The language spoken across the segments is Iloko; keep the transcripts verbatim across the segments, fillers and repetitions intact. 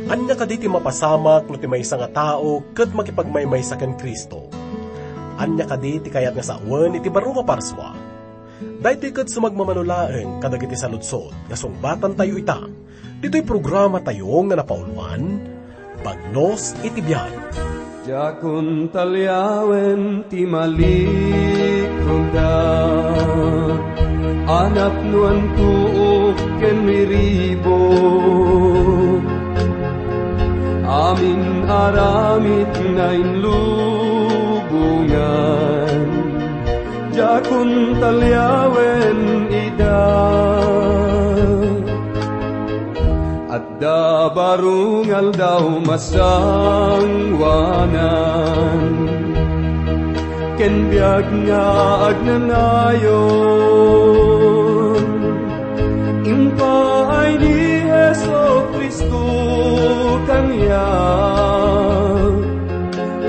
Ania kadi ti mapasamak no ti maysa nga tao ket makipagmaymaysa ken Cristo? Ania kadi ti kayat nga sawen iti baro nga parsua? Daytoy ket sumagmamano laeng kadagiti saludsod nga sungbatantayo ita, ditoy programatayo nga napauluan, Bagnos iti Biag. Diakon taliawen ti malikuda, a napnoan tuok ken miribo. Amin aramid na inlubongan, diakon taliawen ida. Adda baro nga aldaw masangoanan, ken biag nga agnanayon. Impaay ni Jesu-Cristo kaniak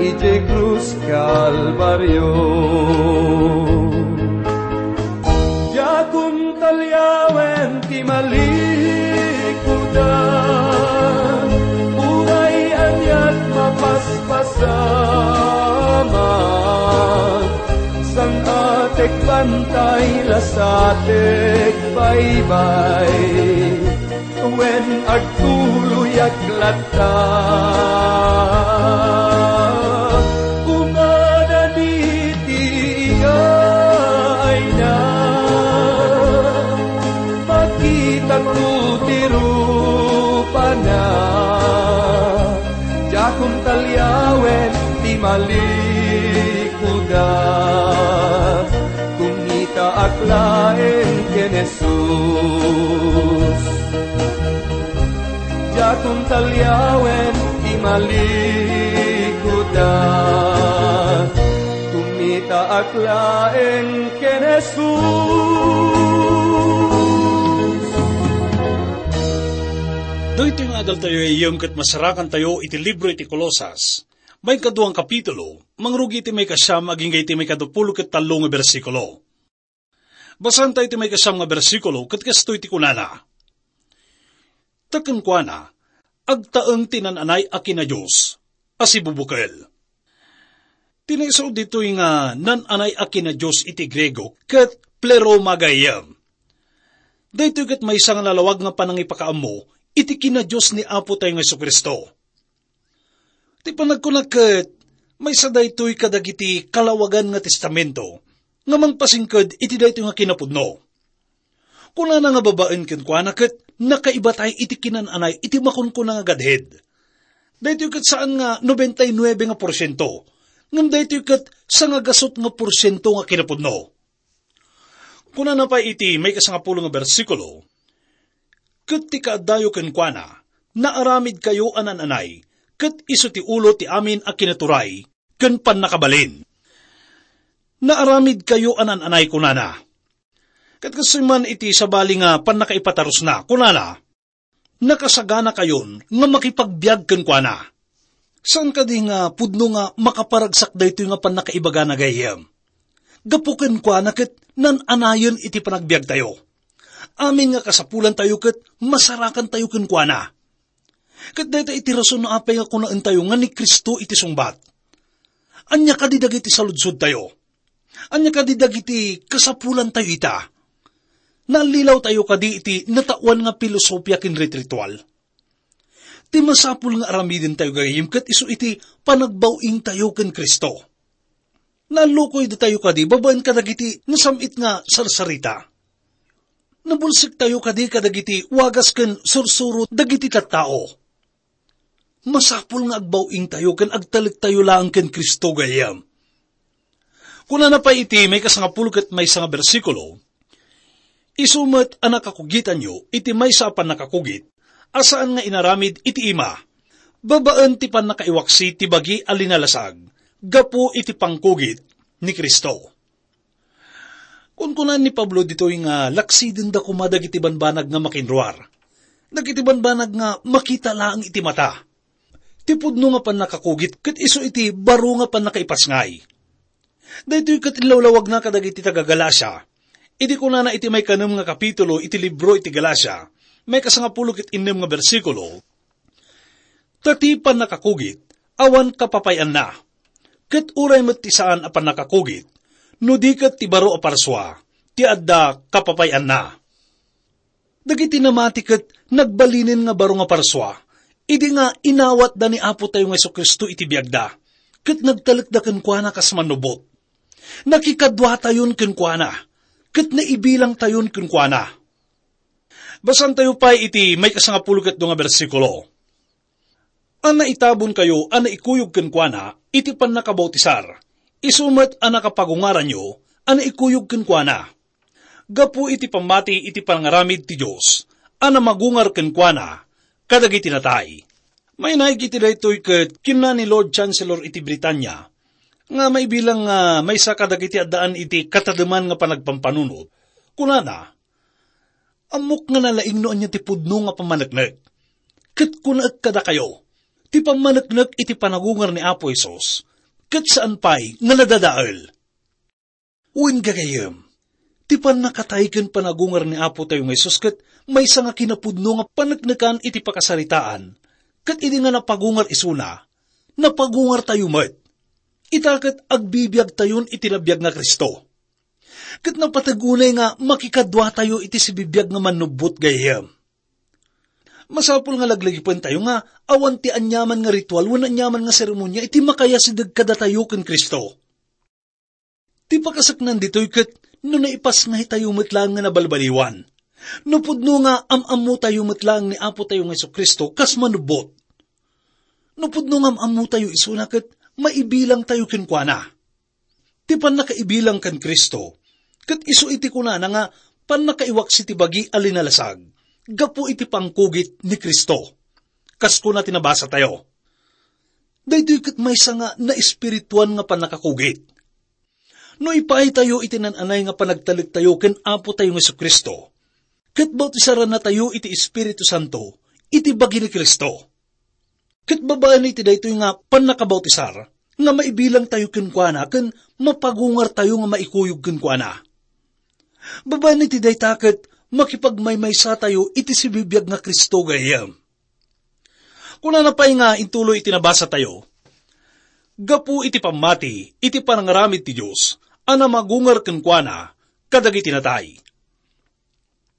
idiay krus Kalbario. Diakon taliawen ti malikudan, uray aniat mapaspasamak, sang-atek bantay, lasatek baybay. Wen agtuloyak latta, kumada diti iyaayna, makitakto ti rupana. Diakon taliawen ti malikuda, kumitaak laeng ken Jesus. Diakon taliawen ti malikuda, kumitaak laeng ken Jesus. Daytoy nga adaltayo, gayam, ket masarakantayo iti libro iti Colosas, maikaduang kapitulo, mangrugi iti maikasiam agingga iti maikadupulo ket tallo nga bersikulo. Basaentayo ti maikasiam nga bersikulo, ket kastoy ti kunana: Ta kenkuana, agtaeng ti nan-anay a kinadios a sibubukel. Ti naisaud ditoy nga nan-anay a kinadios iti Griego ket pleroma gayam. Daytoy ket maysa nga nalawag nga panangipakaammo iti kinadios ni Apotayo nga Jesu-Cristo. Ti panagkuna ket, maysa daytoy kadagiti kalawagan nga testamento nga mangpasingked iti daytoy nga kinapudno. Kunana nga babaen kenkuana ket nakaibatayo iti kinan-anay iti makunkuna nga gadhed. Daytoy ket saan nga nobenta y nuebe nga porsiento, ngem daytoy ket sangagasut nga porsiento nga kinapudno. Kunana pay iti maikasangapulo nga bersikulo: Ket ti kaaddayo kenkuana, naaramidkayo a nan-anay, ket isu ti ulo ti amin a kinaturay ken pannakabalin. Naaramidkayo a nan-anay, kunana. Ket kastoy man iti sabali nga pannakaipatarusna, kunana: Nakasaganakayon nga makipagbiag kenkuana. Saan kadi nga pudno nga makaparagsak daytoy nga pannakaibagana gayam? Gapu kenkuana ket nan-anayen iti panagbiagtayo. Amin nga kasapulantayo ket masarakantayo kenkuana. Ket dayta iti rason no apay nga kunaentayo nga ni Cristo iti sungbat. Ania kadi dagiti saludsodtayo? Ania kadi dagiti kasapulantayo ita? Nallilawtayo kadi iti nataoan nga pilosopia ken rit-ritual? Ti masapul nga aramidentayo gayam ket isu iti panagbaw-ingtayo ken Cristo. Nallukoydatayo kadi babaen kadagiti nasam-it nga sarsarita? Nabulsektayo kadi kadagiti wagas ken sursuro dagiti tattao? Masapul nga agbaw-ingtayo ken agtalektayo laeng ken Cristo gayam. Kunana pay iti maikasangapulo ket maysa nga bersikulo: Isu met a nakakugitanyo iti maysa a pannakakugit a saan nga inaramid iti ima, babaen ti pannakaiwaksi ti bagi a linalasag gapu iti pangkugit ni Cristo. Kunkunaan ni Pablo ditoy nga laksidenda koma dagiti banbanag nga makinruar, dagiti banbanag nga makita laeng iti mata. Ti pudno nga pannakakugit ket isu iti baro nga pannakaipasngay. Daytoy ket inlawlawagna kadagiti taga-Galacia. Idi kunana iti maikanem nga kapitulo iti libro iti Galacia, maikasangapulo ket innem nga bersikulo: Ta ti pannakakugit, awan kapapay-anna. Ket uray met ti saan a pannakakugit, no di ket ti baro a parsua, ti adda kapapay-anna. Dagiti namati ket nagbalinen nga baro nga parsua, idi nga inawatda ni Apotayo nga Jesu-Cristo iti biagda, ket nagtalekda kenkuana kas mannubot. Nakikaduatayon kenkuana, ket naibilangtayon kenkuana. Basantayo pay iti maikasangapulo ket dua nga bersikulo. A naitabonkayo a naikuyog kenkuana iti pannakabautisar, isu met a nakapagungaranyo a naikuyog kenkuana. Gapu iti pammati iti panangaramid ti Dios a namagungar kenkuana kadagiti natay. Mainaig iti daytoy ket kinuna ni Lord Chancellor iti Britania nga maibilang nga maysa kadagiti addaan iti katademan nga panagpampanunot. Kunana, "Ammok nga nalaing no ania ti pudno nga pammaneknek. Ket kunaek kadakayo, ti pammaneknek iti panagungar ni Apo Jesus, ket saan pay nga nadadael." Wen gagayyem, ti pannakatay ken panagungar ni Apotayo nga Jesus ket maysa nga kinapudno nga paneknekan iti pakasaritaan, ket idi nga napagungar isuna, napagungartayo met. Ita ket agbibiagtayon iti nabiag nga Cristo. Ket napateg unay nga makikaduatayo iti sibibiag nga mannubbot gayyem. Masapul nga laglagipentayo nga awan ti aniaman nga ritual wenno aniaman nga seremonia iti makayasideg kadatayo ken Cristo. Ti pakaseknan ditoy ket no naipasngaytayo met laeng nga nabalbaliwan. No pudno nga am-ammotayo met laeng ni Apotayo nga Jesu-Cristo kas manubbot. No pudno nga am-ammotayo isuna ket maibilangtayo kenkuana. Ti pannakaibilang ken Cristo, ket isu iti kunana nga pannakaiwaksi ti bagi a linalasag gapu iti pangkugit ni Cristo. Kas kuna ti nabasatayo, daytoy ket maysa nga naespirituan nga pannakakugit. No ipaaytayo iti naan-anay nga panagtalektayo ken Apotayo nga Jesu-Cristo, ket bautisarannatayo iti Espiritu Santo iti bagi ni Cristo. Ket babaen iti daytoy nga pannakabautisar, nga maibilangtayo kenkuana ken mapagungartayo nga maikuyog kenkuana. Babaen iti dayta ket makipagmaymaysatayo iti sibibiag nga Cristo gayyem. Kunana pay nga intuloy iti nabasatayo, gapu iti pammati iti panangaramid ti Dios a namagungar kenkuana kadagiti natay.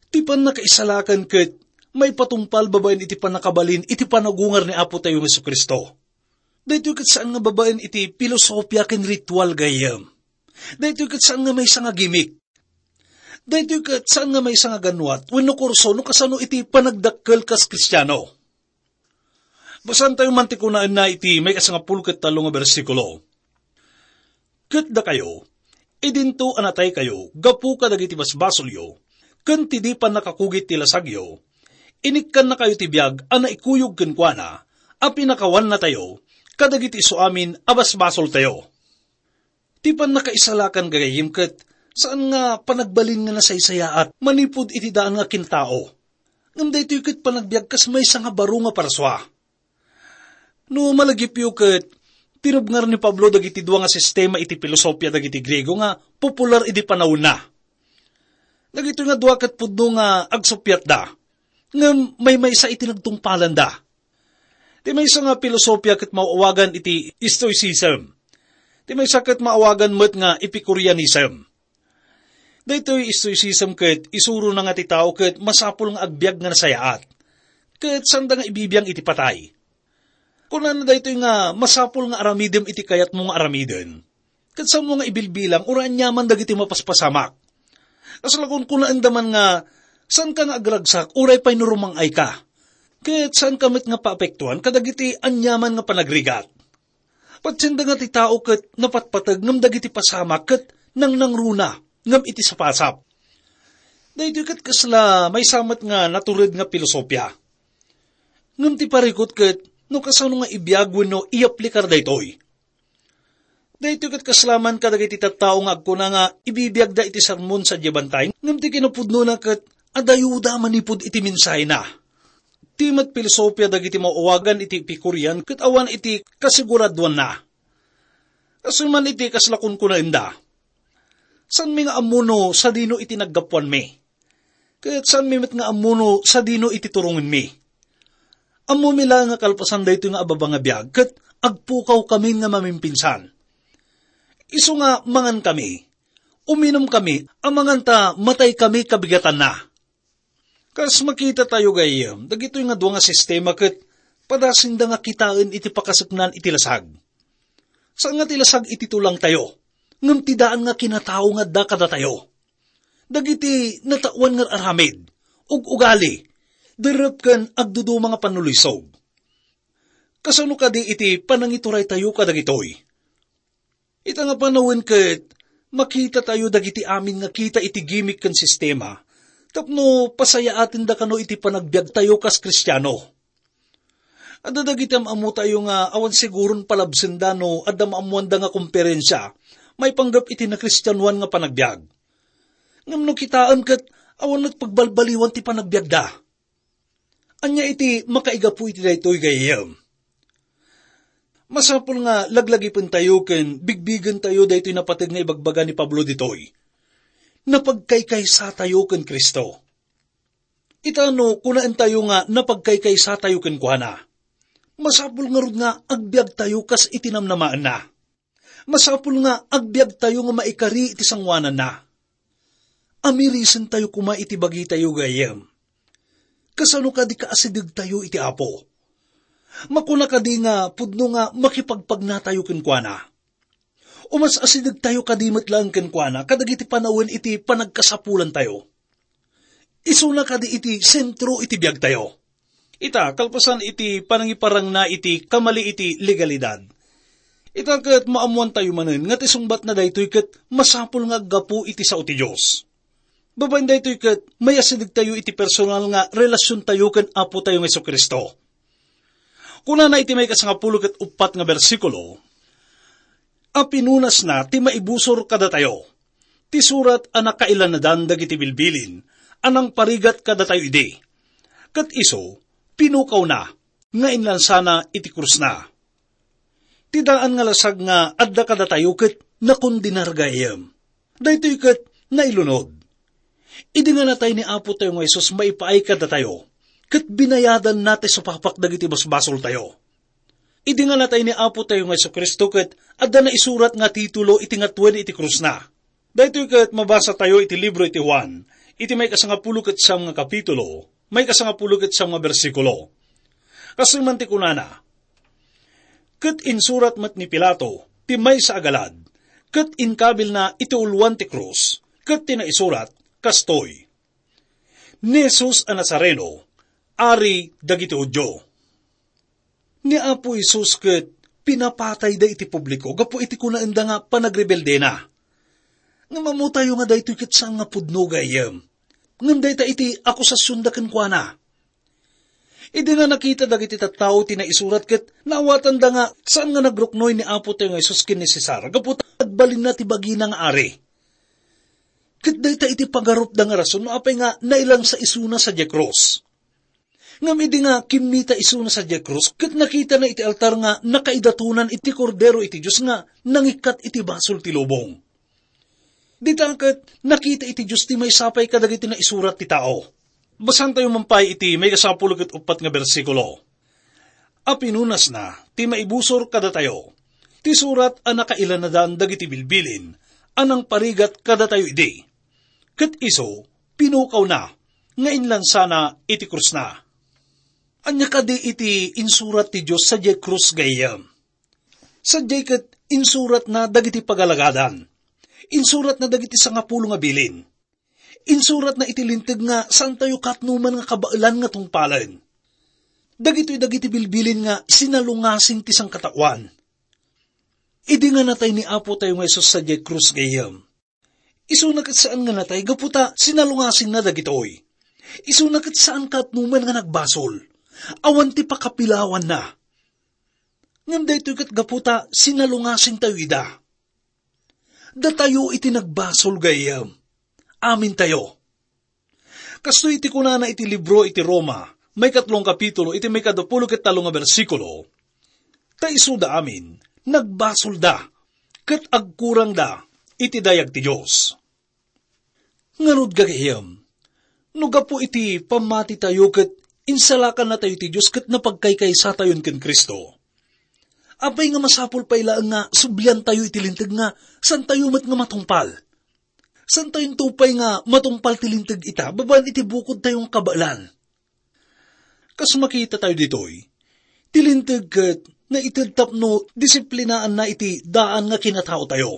Ti pannakaisalakan ket maipatungpal babaen iti pannakabalin iti panagungar ni Apotayo nga Jesu-Cristo. Daytoy ket saan nga babaen iti pilosopia ken ritual gayyem. Daytoy ket saan nga maysa nga gimik. Daytoy ket saan nga maysa nga ganwat wenno kurso no kasano iti panagdakkel kas Kristiano. Basaentayo man ti kunaenna iti maikasangapulo ket tallo nga bersikulo. Ket dakayo, idinto a nataykayo gapu kadagiti basbasolyo, ken ti di pannakakugit ti lasagyo, inikkannakayo ti biag a naikuyog kenkuana a pinakawannatayo kadagiti isuamin a basbasoltayo. Ti pannakaisalakan gagayyem ket saan nga panagbalin nga nasaysayaat manipud iti daan nga kintao. Ngem daytoy ket panagbiag kas maysa nga baro nga parsua. No malagipyo ket tinubngar ni Pablo dagiti dua nga sistema iti pilosopia dagiti Griego nga popular idi panawenna. Dagitoy nga dua ket pudno nga agsuppiatda, ngem maymaysa iti nagtungpalanda. Ti maysa nga pilosopia ket maawagan iti Stoicism. Ti maysa ket maawagan met nga Epicureanism. Daytoy Stoicism ket isurona nga ti tao ket masapul nga agbiag nga nasayaat, ket saanda nga ibibiang iti patay. Kunana daytoy nga masapul nga aramidem iti kayatmo nga aramiden, ket saanmo nga ibilbilang uray aniaman dagiti mapaspasamak. Kasla kunkunaenda man nga saanka nga agragsak uray pay no rumang-ayka, ket saanka met nga paapektuan kadagiti aniaman nga panagrigat. Patienda nga ti tao ket napatpateg ngem dagiti pasamak ket nangnangruna ngem iti sapasap. Daytoy ket kasla maysa met nga natured nga pilosopia. Ngem ti parikut ket no kasano nga ibiag wenno iyaplikar daytoy. Daytoy ket kasla man kadagiti tattao nga agkuna nga ibibiagda iti sermon sadiay bantay, ngem ti kinapudnona ket adayoda manipud iti mensahena. Ti met pilosopia dagiti maawagan iti Epicurean ket awan iti kasiguradwanna. Kastoy man iti kasla kunkunaenda, "Saanmi nga ammo no sadino iti naggapuanmi, ket saanmi met nga ammo no sadino iti turongenmi. Ammomi laeng nga kalpasan daytoy nga ababa nga biag, ket agpukawkami nga mamimpinsan. Isu nga mangankami, uminumkami, amangan ta mataykami kabigatanna. Kas makitatayo, gayyem, dagitoy nga dua nga sistema ket padasinda nga kitaen iti pakaseknan iti lasag. Saan nga ti lasag iti tulangtayo, ngem ti daan nga kinatao nga adda kadatayo. Dagiti nataoan nga aramid, ug-ugali, derrep ken agduduma nga pannulisog. Kasano kadi iti panangituraytayo kadagitoy? Ita nga panawen ket makitatayo dagiti amin nga kita iti gimik ken sistema tapno pasayaatenda kano iti panagbiagtayo kas Kristiano. Adda dagiti am-ammotayo nga awan siguron palabsenda no adda maammoanda nga komperensia maipanggep iti nakristianoan nga panagbiag. Ngem no kitaem ket awan met pagbalbaliwan ti panagbiagda. Ania iti makaigapu iti daytoy, gayyem? Masapul nga laglagipentayo ken bigbigentayo daytoy napateg nga ibagbaga ni Pablo ditoy. Napagkaykaysatayo ken Cristo. Ita no kunaentayo nga napagkaykaysatayo kenkuana, masapul ngarud nga agbiagtayo kas iti namnamaenna. Masapul nga agbiagtayo nga maikari iti sangoananna. Amirisentayo koma iti bagitayo, gayyem. Kasano kadi kaasidegtayo iti Apo? Makuna kadi nga pudno nga makipagpagnatayo kenkuana? O mas asidegtayo kadi met laeng kenkuana kadagiti panawen iti panagkasapulantayo? Isuna kadi iti sentro iti biagtayo. Ita, kalpasan iti panangiparangna iti kamali iti legalidad, ita ket maammoantayo manen nga ti sungbatna daytoy ket masapul nga aggapu iti sao ti Dios. Babaen daytoy ket mayasidegtayo iti personal nga relasiontayo ken Apotayo nga Jesu-Cristo. Kunana iti maikasangapulo ket uppat nga bersikulo, "A pinunasna ti maibusor kadatayo, ti surat a nakailanadan dagiti bilbilin a nangparigat kadatayo idi. Ket isu, pinukawna nga inlansana iti krusna." Ti daan nga lasag nga adda kadatayo ket nakondenar, gayyem. Daytoy ket nailunod. Idi nga natay ni Apotayo nga Jesus maipaay kadatayo, ket binayadanna ti supapak dagiti basbasoltayo. Idi nga natay ni Apotayo nga Jesu-Cristo ket adda naisurat nga titulo iti ngatuen iti krusna. Daytoy ket mabasatayo iti libro iti Juan, iti maikasangapulo ket siam nga kapitulo, maikasangapulo ket siam nga bersikulo. Kastoy man ti kunana, "Ket insurat met ni Pilato ti maysa a galad, ket inkabilna iti uloan ti krus, ket ti naisurat kastoy, 'Ni Jesus a Nazareno, Ari dagiti Judio.'" Ni Apo Jesus ket pinapatayda iti publiko gapu iti kunaenda nga panagrebeldena. Ngem ammotayo nga daytoy ket saan nga pudno, gayyem. Ngem dayta iti akusasionda kenkuana. Idi nga nakita dagiti tattao ti naisurat ket naawatanda nga saan nga nagruknoy ni Apotayo nga Jesus ken ni Cesar gapu ta agbalinna ti bagina nga ari. Ket dayta iti pagarupda nga rason no apay nga nailansa isuna sadiay krus. Ngem idi nga kimmita isuna sadiay krus ket nakitana iti altar nga nakaidatonan iti Kordero iti Dios nga nangikkat iti basol ti lubong. Dita ket nakita iti Dios ti maysa pay kadagiti naisurat ti tao. Basaentayo man pay iti maikasangapulo ket uppat nga bersikulo. "A pinunasna ti maibusor kadatayo, ti surat a nakailanadan dagiti bilbilin a nangparigat kadatayo idi. Ket isu, pinukawna nga inlansana iti krusna." Ania kadi iti insurat ti Dios sadiay krus, gayyem? Sadiay ket insuratna dagiti pagalagadan. Insuratna dagiti sangapulo nga bilin. Insuratna iti Linteg nga saantayo katnoman nga kabaelan nga tungpalen. Dagitoy dagiti bilbilin nga sinalungasing ti sangkataoan. Idi nga natay ni Apotayo nga Jesus sadiay krus, gayyem, isuna ket saan nga natay gapu ta sinalungasingna dagitoy. Isuna ket saan katnoman nga nagbasol. Awan ti pakapilawanna. Ngem daytoy ket gapu ta sinalungasingtayo ida. Datayo iti nagbasol, gayyem. Amintayo. Kastoy iti kunana iti libro iti Roma, maikatlong kapitulo, iti maikaduapulo ket tallo nga bersikulo, "Ta isuda amin, nagbasolda, ket agkurangda iti dayag ti Dios." Ngarud, gagayyem, no gapu iti pammatitayo ket Insalakannatayo ti Dios ket napagkaykaysatayon ken Cristo. Apay nga masapul pay laeng nga subliantayo iti linteg nga santayo met nga matungpal? Santayonto pay nga matungpal ti linteg ita babaen iti bukodtayo nga kabaelan. Kas makitatayo ditoy, ti linteg ket naited tapno disiplinaanna iti daan nga kinataotayo.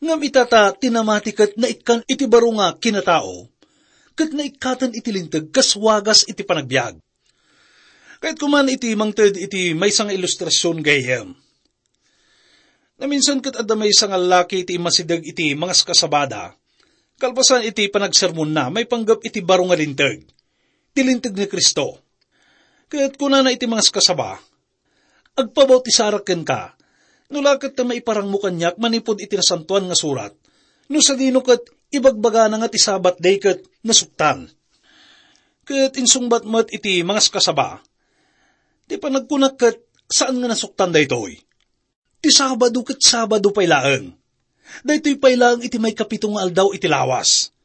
Ngem ita ta ti namati ket naikkan iti baro nga kinatao, ket naikkaten iti linteg kas wagas iti panagbiag. Kayatko man iti mangted iti maysa nga ilustrasion gayyem. Naminsan ket adda maysa nga laki iti immasideg iti mangaskasabada. Kalpasan iti panagsermonna, maipanggep iti baro nga linteg, ti linteg ni Cristo. Ket kunana iti mangaskasaba, "Agpabautisarek kenka, no la ket ta maiparangmo kaniak manipud iti Nasantoan nga Surat, no sadino ket ibagbagana nga ti Sabat day ket nasuktan." Ket insungbat met iti mangaskasaba, "Ti panagkunak ket saan nga nasuktan daytoy. Ti Sabado ket Sabado pay laeng. Daytoy pay laeng iti maikapito nga aldaw iti lawas.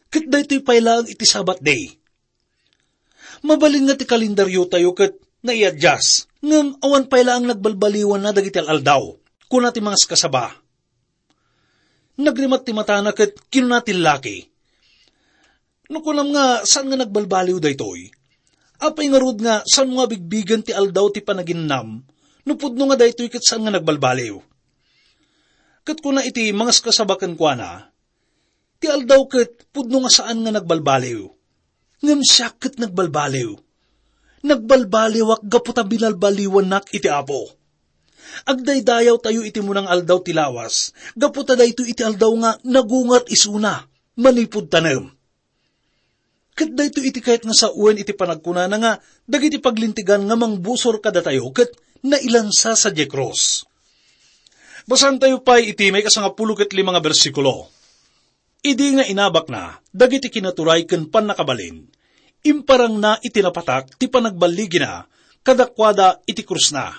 Ket daytoy pay laeng iti Sabat day. Mabalin nga ti kalendaryotayo ket naiadias, ngem awan pay laeng nagbalbaliwanna dagiti al-aldaw," kuna ti mangaskasaba. Nagrimat ti matana ket kinuna ti laki, "No kunam nga saan nga nagbalbaliw daytoy, apay ngarud nga saan nga bigbigen ti aldaw ti panaginnam no pudno nga daytoy ket saan nga nagbalbaliw?" Ket kuna iti mangaskasaba kenkuana, "Ti aldaw ket pudno nga saan nga nagbalbaliw. Ngem siak ket nagbalbaliw. Nagbalbaliwak gapu ta binalbaliwannak iti Apo. Agdaydayawtayo iti munang aldaw ti lawas, gapu ta daytoy iti aldaw nga nagungar isuna manipud tanem." Ket daytoy iti kayat nga sawen iti panagkunana nga dagiti paglintegan nga mangbusor kadatayo ket nailansa sadiay krus. Basaentayo pay iti maikasangapulo ket lima nga bersikulo. Idi nga inabakna dagiti kinaturay ken pannakabalin, imparangna iti napatak ti panagballigina kadakuada iti krusna.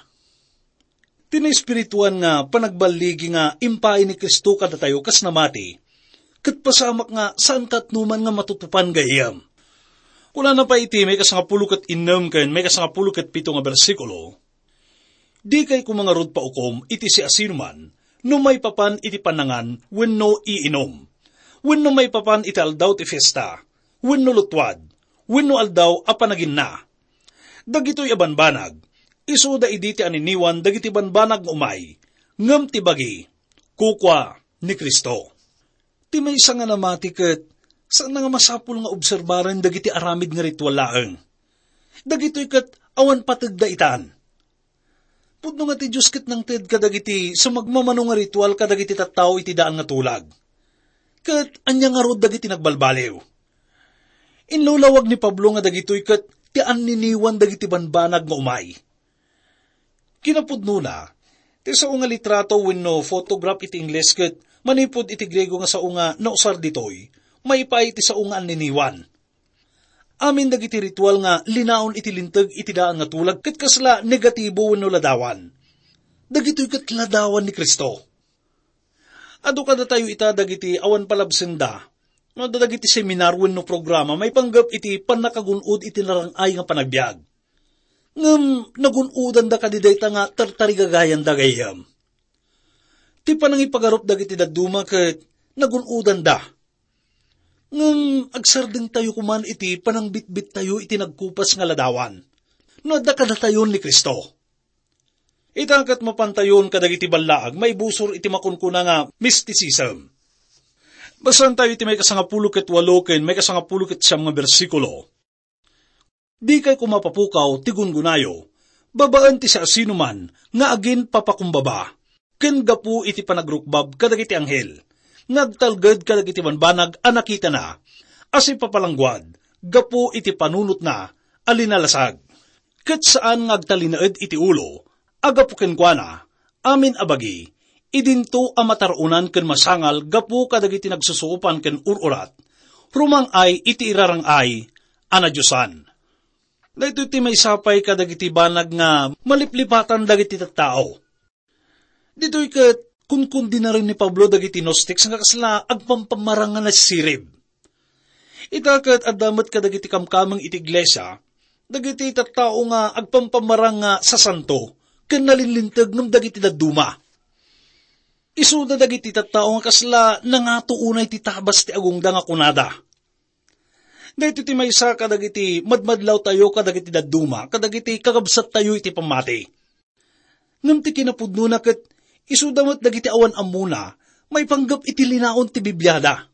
Ti naespirituan nga panagballigi nga impaay ni Cristo kadatayo kas namati, ket pasamak nga saan katnoman nga matutupan gayyem. Kunana pay iti maikasangapulo ket innem ken maikasangapulo ket pito nga bersikulo, "Dikay koma ngarud paukom iti siasinoman no maipapan iti panangan wenno iinum, wenno maipapan iti aldaw ti fiesta, wenno lutwad, wenno aldaw a panaginna. Dagitoy a banbanag, isuda idi ti aniniwan dagiti banbanag nga umay, ngem ti bagi, kukua ni Cristo." Ti maysa nga namati ket saan nga masapul nga obserbaren dagiti aramid nga ritual laeng. Dagitoy ket awan pategda itan. Pudno nga ti Dios ket nangted kadagiti sumagmamano nga ritual kadagiti tattao iti daan nga tulag. Ket ania ngarud dagiti nagbalbaliw? Inlulawag ni Pablo nga dagitoy ket ti anniniwan dagiti banbanag nga umay. Kinapudnona, ti sao nga litrato wenno photograph iti Ingles ket manipud iti Griego nga sao nga nausar ditoy, maipaay iti sao nga anniniwan. Amin dagiti ritual nga linaon iti linteg iti daan nga tulag ket kasla negatibo wenno ladawan. Dagitoy ket ladawan ni Cristo. Adu kadatayo ita dagiti awan palabsenda, no adda dagiti seminar wenno programa maipanggep iti pannakagun-od iti narang-ay nga panagbiag. Ngem nagun-odanda kadi dayta nga tartarigagayanda gayyem. Ti panangipagarup dagiti dadduma ket nagun-odanda. Ngem agsardengtayo koman iti panangbitbittayo iti nagkupas nga ladawan, no adda kadatayon ni Cristo. Ita ket mapantayon kadagiti ballaag maibusor iti makunkuna nga mysticism. Basaentayo iti maikasangapulo ket walo ken maikasangapulo ket siam nga bersikulo. "Dikay koma papukaw ti gungunayo, babaen ti siasinoman nga aginpapakumbaba, ken gapu iti panagrukbab kadagiti anghel, nga agtalged kadagiti banbanag a nakitana, a sipapalangguad gapu iti panunotna a linalasag, ket saan nga agtalinaed iti ulo, a gapu kenkuana, amin a bagi, idinto a matar-onan ken masangal gapu kadagiti nagsusuopan ken ur-urat, rumang-ay iti irarang-ay a nadiosan." Daytoy ti maisapay kadagiti banag nga maliplipatan dagiti tattao. Ditoy ket kunkundinaren ni Pablo dagiti Gnostics nga kasla agpampamarang nga nasirib. Ita ket adda met kadagiti kamkameng iti iglesia Dagiti tattao nga agpampamarang nga sasanto ken nalinlinteg ngem dagiti dadduma. Isuda dagiti tattao nga kasla nangato unay ti tabas ti agongda nga kunada, "Daytoy ti maysa kadagiti madmadlawtayo kadagiti dadduma, kadagiti kakabsattayo iti pammati." Ngem ti kinapudnona ket isuda met dagiti awan ammona maipanggep iti linaon ti Bibliada.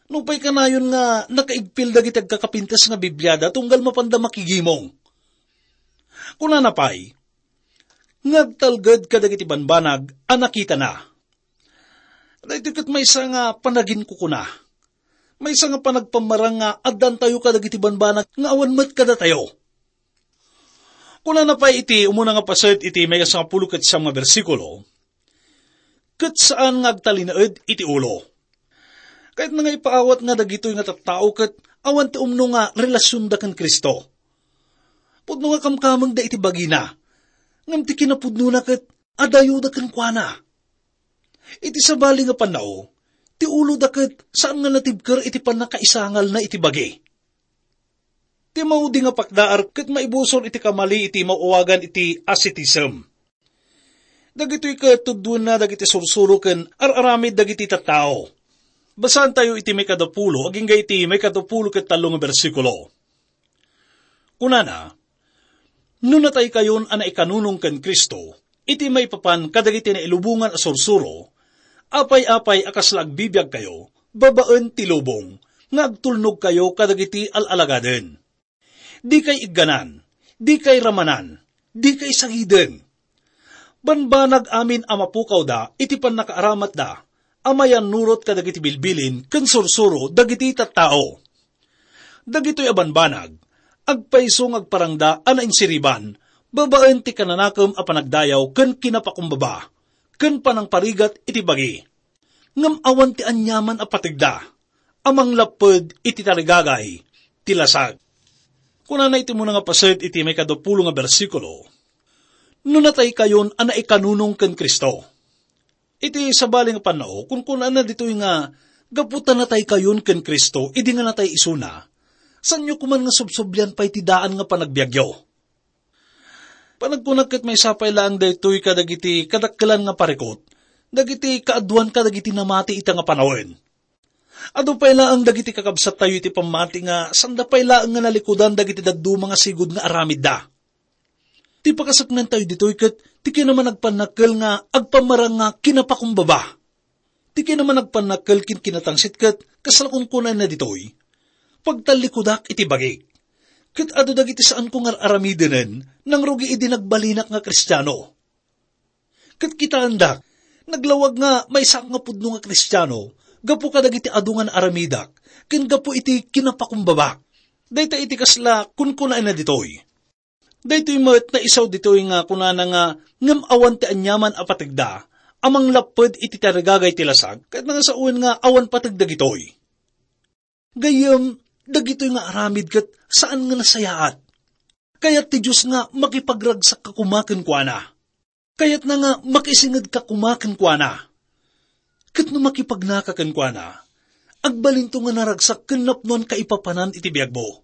Nupay kanayon nga nakaigpil dagiti agkakapintas nga Bibliada tunggal mapanda makigimong. Kunana pay, nga agtalged kadagiti banbanag a nakitana. Daytoy ket maysa nga panaginkukuna. Maysa nga panagpammarang nga addantayo kadagiti banbanag nga awan met kadatayo. Kunana pay iti umuna nga paset iti maykasangapulo ket siam nga bersikulo, "Ket saan nga agtalinaed iti ulo." Kayatna nga ipaawat nga dagitoy nga tattao ket awan ti umno nga relasionda ken Cristo. Pudno nga kamkamengda iti bagina, ngem ti kinapudnona ket adayoda kenkuana. Iti sabali nga pannao, ti uloda ket saan nga natibker iti pannakaisangalna iti bagi. Ti maudi nga pakdaar ket maibusor iti kamali iti maawagan iti ascetism. Dagitoy ket tuddoenna dagiti sursuro ken ar-aramid dagiti tattao. Basaantayo iti maikadapulo agingga iti maikadapulo ket tallo nga bersikulo. Kunana, "No nataykayon a naikanunong ken Cristo, iti maipapan kadagiti nailubongan a sursuro, apay-apay a kasla agbibiagkayo babaen ti lubong nga agtulnogkayo kadagiti al-alagaden. Dikay igganan, dikay ramanan, dikay sagiden. Banbanag amin a mapukawda iti pannakaaramatda a mayannurot kadagiti bilbilin ken sursuro dagiti tattao." Dagitoy a banbanag, agpayso nga agparangda a nainsiriban babaen ti kananakem a panagdayaw ken kinapakumbaba ken panangparigat iti bagi. Ngem awan ti aniaman a pategda a manglapped iti tarigagay ti lasag. Kunana iti umuna nga paset iti maikadapulo nga bersikulo, "No nataykayon a naikanunong ken Cristo." Iti sabali nga pannao, kunkunana ditoy nga, gapu ta nataykayon ken Cristo idi nga natay isuna, saanyo koman nga subsublian pay ti daan nga panagbiagyo. Panagkunak ket maysa pay laeng daytoy kadagiti kadakkelan nga parikut, dagiti kaaduan kadagiti namati ita nga panawen. Adu pay laeng dagiti kakabsattayo iti pammati nga sanda pay laeng nga nalikudan dagiti dadduma nga sigud nga aramidda. Ti pakasaknantayo ditoy ket ti kinaman agpannakkel nga agpammarang nga kinapakumbaba. Ti kinaman agpannakkel ken kinatangsit ket kasla kunkunana ditoy, "Pagtallikudak iti bagik." Ket adu dagiti saanko nga ar-aramidenen nangrugi idi nagbalinak nga Kristiano. Ket kitaendak, naglawag nga maysaak nga pudno nga Kristiano gapu kadagiti adu nga naaramidak ken gapu iti kinapakumbabak. Dayta iti kasla kunkunaenna ditoy. Daytoy met naisaw ditoy nga kunana nga ngem awan ti aniaman a pategda a manglapped iti tarigagay ti lasag, ket nangasawen nga awan pateg dagitoy. Gayyem, dagitoy nga aramid ket saan nga nasayaat. Kayat ti Dios nga makipagragsakka koma kenkuana. Kayatna nga makisingedka koma kenkuana. Ket no makipagnaka kenkuana, agbalinto nga naragsak ken napnoan kaipapanan iti biagmo.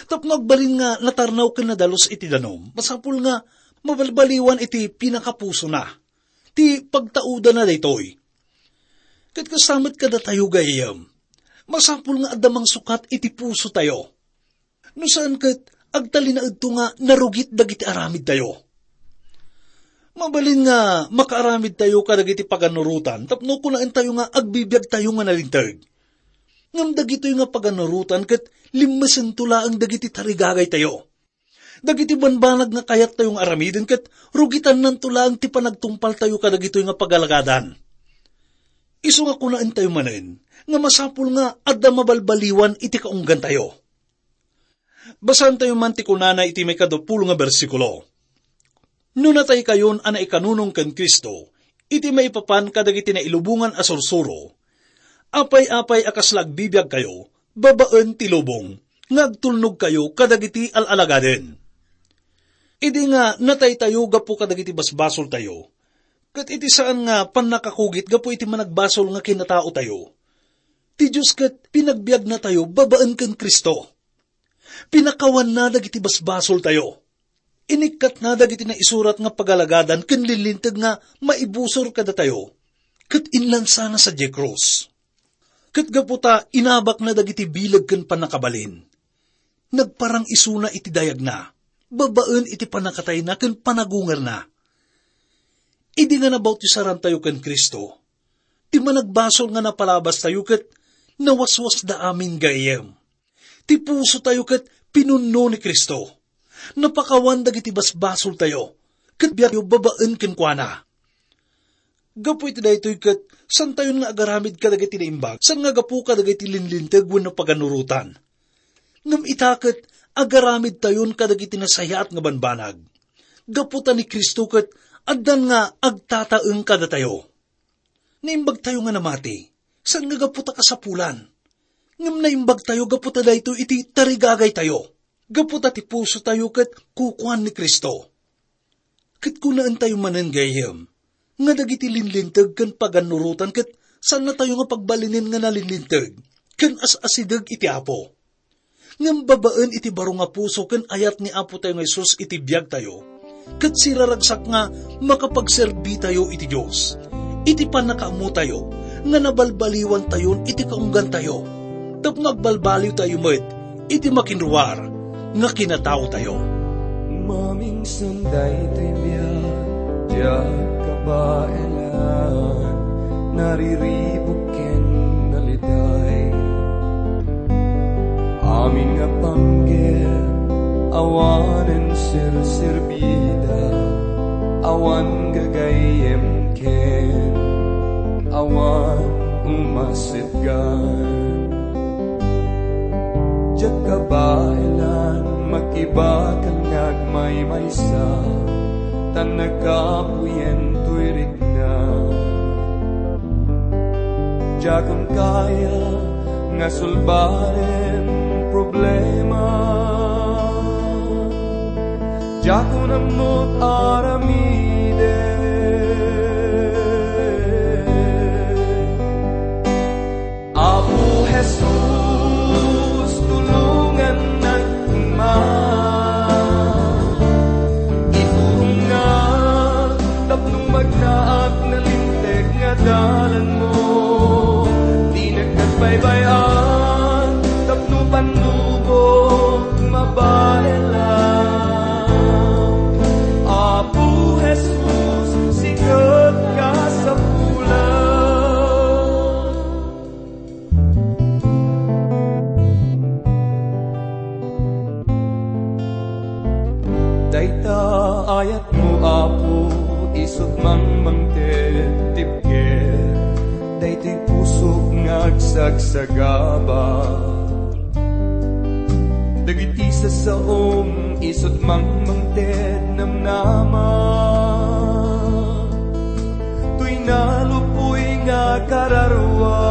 Tapno agbalin nga natarnaw ken nadalus iti danum, masapul nga mabalbaliwan iti pinakapusona ti pagtaudana daytoy. Ket kasta met kadatayo, gayyem, masapul nga adda mangsukat iti pusotayo. No saan ket, agtalinaedto nga narugit dagiti aramidtayo. Mabalin nga makaaramidtayo kadagiti paganurotan tapno kunaentayo nga agbibiagtayo nga nalinteg. Ngem dagitoy nga paganurotan ket limmesento laeng dagiti tarigagaytayo. Dagiti banbanag nga kayattayo nga aramiden ket rugitannanto laeng ti panagtungpaltayo kadagitoy nga pagalagadan. Isu nga kunaentayo manen nga masapul nga adda mabalbaliwan iti kaunggantayo. Basaentayo man ti kunana iti maikadupulo nga bersikulo, "No nataykayon a naikanunong ken Cristo iti maipapan kadagiti nailubongan a sursuro, apay-apay a kasla agbibiagkayo babaen ti lubong nga agtulnogkayo kadagiti al-alagaden." Idi nga nataytayo gapu kadagiti basbasoltayo, ket iti saan nga pannakakugit gapu iti managbasol nga kinataotayo, ti Dios ket pinagbiagnatayo babaen ken Cristo. Pinakawanna dagiti basbasoltayo. Inikkatna dagiti naisurat nga pagalagadan ken linlinteg nga maibusor kadatayo, ket inlansana sadiay krus. Ket gapu ta inabakna dagiti bileg ken pannakabalin, nagparang isuna iti dayagna, babaen iti pannakatayna ken panagungerna. Idi nga nabautisarantayo ken Cristo, ti managbasol nga napalabastayo ket nawaswasda amin gayyem. Ti pusotayo ket pinunno ni Cristo. Napakawan dagiti basbasoltayo, ket biagyo babaen kenkuana. Gapu iti daytoy ket, santayon nga agaramid kadagiti naimbag, saan nga gapu kadagiti linlinteg wenno paganurotan. Ngem ita ket, agaramidtayon kadagiti nasayaat nga banbanag. Gapu ta ni Cristo ket, addan nga agtataeng kadatayo. Naimbagtayo nga namati, saan nga gapu ta kasapulan. Ngem naimbagtayo gapu ta daytoy iti tarigagaytayo. Gapu ta ti pusotayo ket kukuan ni Cristo. Ket kunaentayo manen gayyem, nga dagiti linlinteg ken pagannurotan ket saannatayo nga pagbalinen nga nalinlinteg ken as-asideg iti Apo. Ngem babaen iti baro nga puso ken ayat ni Apotayo nga Jesus iti biagtayo, ket siraragsak nga makapagserbitayo iti Dios iti pannakaammotayo nga nabalbaliwantayon iti kaunggantayo, tapno agbalbaliwtayo met iti makinruar nga kinataotayo. Mamingsan daytoy biag, diak kabaelan, nariribuk ken naliday. Amin nga panggep, awanen serserbida, awan gagayyem ken awan umasetgan. Diak kabaelan, makibakal nga agmaymaysa, ta nakapuyen toy rikna. Diakon kaya nga sulbaren problema. Diakon ammot aramiden. Apo Jesus, tulongannak koma. Iturongnak tapno magnaak nalinteg nga dalanmo. Dinak agbaybay-an tapno pannubok mabaelan. Apo Jesus, sika ti kasapulan. Dayta ayatmo, Apo, isut' mangmangted ti pigek. Daytoy pusok nga agsagsagaba. Dagiti sassaom, isut' mangmangted namnama. Toy nalupoy nga kararua.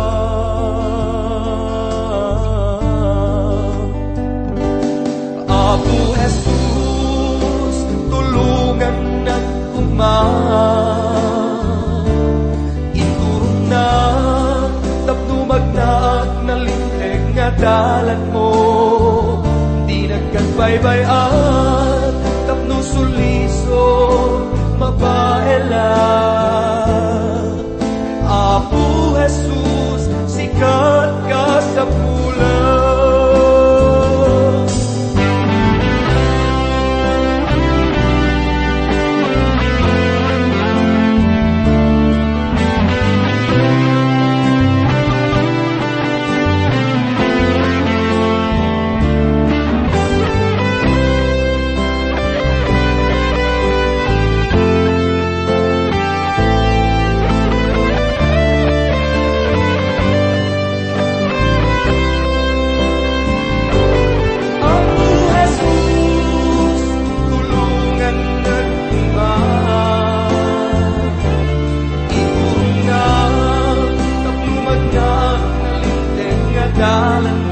Apo Jesus, tulongannak koma. Iturongnak tapno magnaak nalinteg nga dalanmo. Dinak agbaybay-an tapno sulisok mabaelan. Apo Jesus, sika ti kasapulan. Apo Jesus, tulongannak koma. Iturongnak tapno magnaak nalinteg nga dalan.